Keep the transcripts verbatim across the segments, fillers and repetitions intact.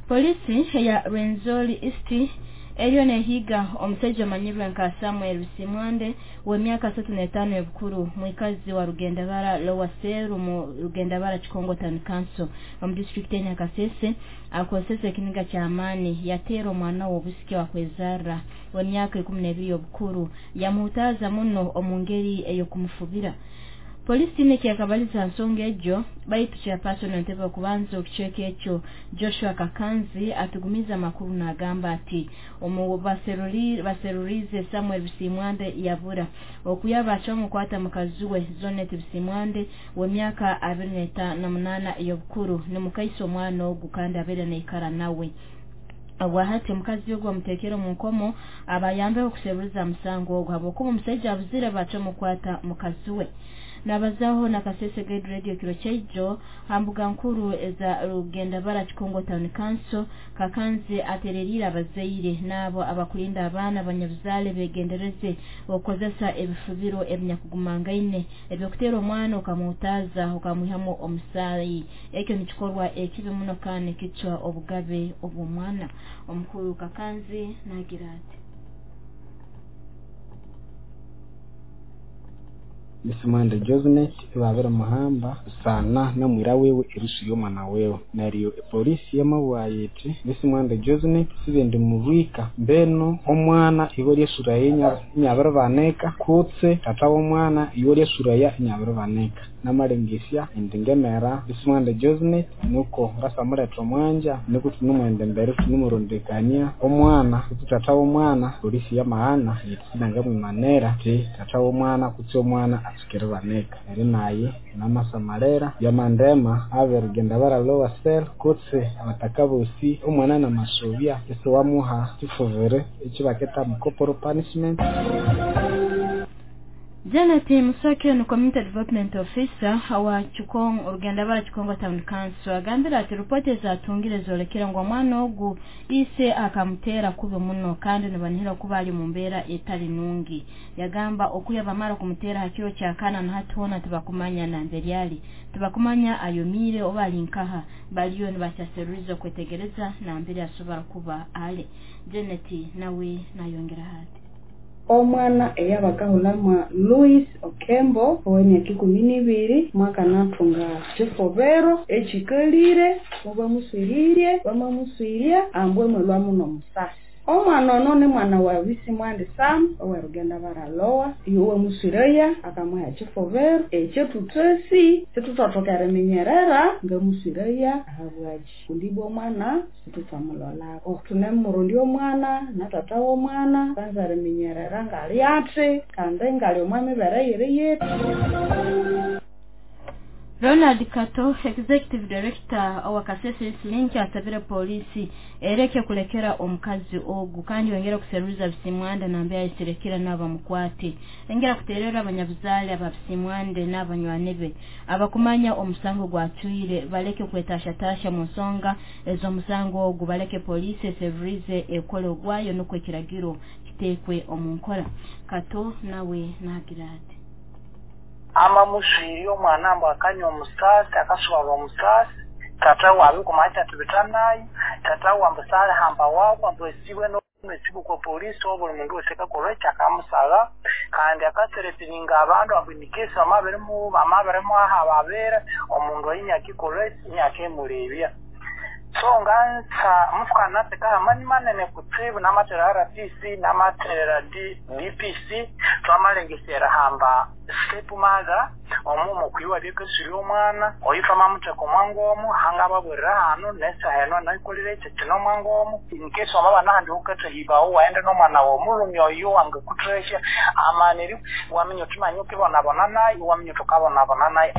Polisi ya Rwenzori East eriyo nehiga omusajja omanyirwe nka Samuel Bisimwande w'emyaka asatu n'etaano ebukuru, mwikazi wa Rugendabara Lower Cell mu Rugendabara Kikongo Town Council omu district ya Nyakasese, akozesa ekiniga ky'amaani yateera omwana w'obusike wakwezarra w'emyaka ikumi n'ebiri obukuru, yamuhutaaza muno omu ngeri ey'okumufubira. Polisi nekyakabaliza nsonga egyo, baitu chairperson entebe okubanza okicweka ekyo Joshua Kakanzi atugumiza amakuru n'agamba ati omu baseruri baserurize Samuel Bisimwande yabura okuyaba aky'omukwata mukazi we Zonet Bisimwande w'emyaka abiri na munaana ey'obukuru, nimukaisa omwana ogu kandi abeere naikara nawe. Obwahati omukazi ogwo amuteekera omu nkomo abayambeho okuseruliza musango ogwo habwokuba omusajja abuzire bakyomukwata mukazi we. Nabazaho na Kasese Guide Radio kiro kyaijo hambuga nkuru eza Rugendabara Kikongo Town Council, Kakanzi atererire abazaire n'abo abakulinda abaana abanyabuzaale begendereze okukozesa ebifubiro ebinyakugumangaine ebyokutera omwana okamuhutaaza okamwihamu omusaayi. Ekyo nikikorwa ekibi muno kandi kicwa obugabe obw'omwana. Omukuru Kakanzi nagira ati Bisimwande Josnet babere muhamba sana namwira wewe erusu y'omwana wewe. Neryo polisi yamabwaye iti Bisimwande Josnet sibendi mubwika mbeno omwana iwe lyesura yenya nyabere baneka kutse tata w'omwana iwe lyesura ya nyabere baneka namalengesya endingemera Bisimwande Josnet nuko ngasamuleta omwanja nuko tunumwende mbere tunumurondekania omwana kutse tata w'omwana. Polisi yamahana iti mwimanera ti tata w'omwana kutse omwana atsukire baneka eri naye namasamalera yamandema aberugenda Lower Cell kutse abatakabosi omwana namasobya ese wamuha kifuvere ekibaketa mu corporal punishment. Janet Musake ni Community Development Officer wa Kikongo Rugendabara Kikongo Town Council agambira ati ripoti zatungire zolekera ngo omwana ogu ise akamutera kubi muno kandi nibanihira kuba ali mu mbeera etali nungi. Yagamba okuya bamara kumutera hakiro kya kana na hatuona tibakumanya na mbere tibakumanya ayomire oba ali nkaha, baliyo nibakyaseruliza kwetegereza na mbere asobora kuba ale. Janet nawe nayongera hati omwana eyabakahulama Louis Okembo ow'emyaka ikumi n'ibiri mwaka natunga kifobero ekikalire mubamuswiririe bamamuswiria ambwe mwelwamu n'omusasi. Omwana ono ni mwana wa Bisimwande Sam owerugenda Lower iwe muswireya akamuha kifobero ekyo tutesi situtotokera minyerera ngamuswireya ahabwaji kundibwa omwana situtamulolako tunemurundi omwana na tata w'omwana kanzare minyerera ngali ati kandi ngali omwami bereyire yetu. Ronald Kato, Executive Director wa Kasese Link, asabire polisi ereke kulekera omukazi ogu kandi yongera kuseruza Bisimwande nambe ayiserekera n'abamukwate. Engera kuterera abanyabuzaale aba Bisimwande n'abanywanebe abakumanya omusango gwatwire baleke kwetashatasha mu nsonga ez'omusango ogu, baleke polisi eserurize ekole ogwayo nukwo ekiragiro kitekwe omu nkora. Kato nawe nagira ati ama muswiri omwana mbu akanywa omusasi akaswaba omusasi tata wabe kumaita tubitanayi tata wambusale hamba wako ambwesiwe no mesibu kwa polisi obuli mundu wese kakorecha akamusala kandi akaseretiringa abantu abwinikesa amabere mu amabere mu aha babera omundu ayinyakikorecha nyakemurebya. So ngansa mufukana teka amani manene kutsibu namatera R P C namatera D P C twamalengesera hamba step mother omumo kwiwa byekesiri omwana oyifa mamuteko mwangomu hanga babwerera hano nesa heno naikolire kino mwangomu inkeso amaba nahandi ukete hibawo waende n'omwana w'omulumi oyo wange kutresha amaniri wamenye otumanye ukibonabona naye wamenye tukabonabona naye.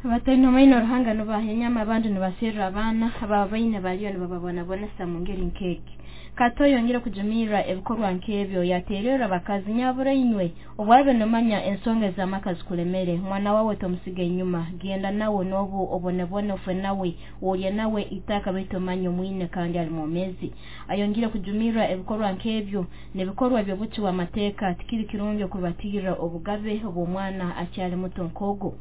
Abataino maino ruhanga nubahenyama abandi nibasirra abaana ababaine baliyo nibababonabonesa mu ngeri nkeki. Kato yongera kujumira ebikorwa nkebyo yaterera abakazi nyabura inywe obwabe nomanya ensonga z'amaka zikulemere mwana wawe tomusiga inyuma genda nawe nobu obonebone ofe nawe olye nawe itaka baitu manyo mwine kandi ali mwomezi. Ayongera kujumira ebikorwa nkebyo nebikorwa byobuti wa mateka tikiri kirungi okubatira obugabe obw'omwana akyali muto nkogo.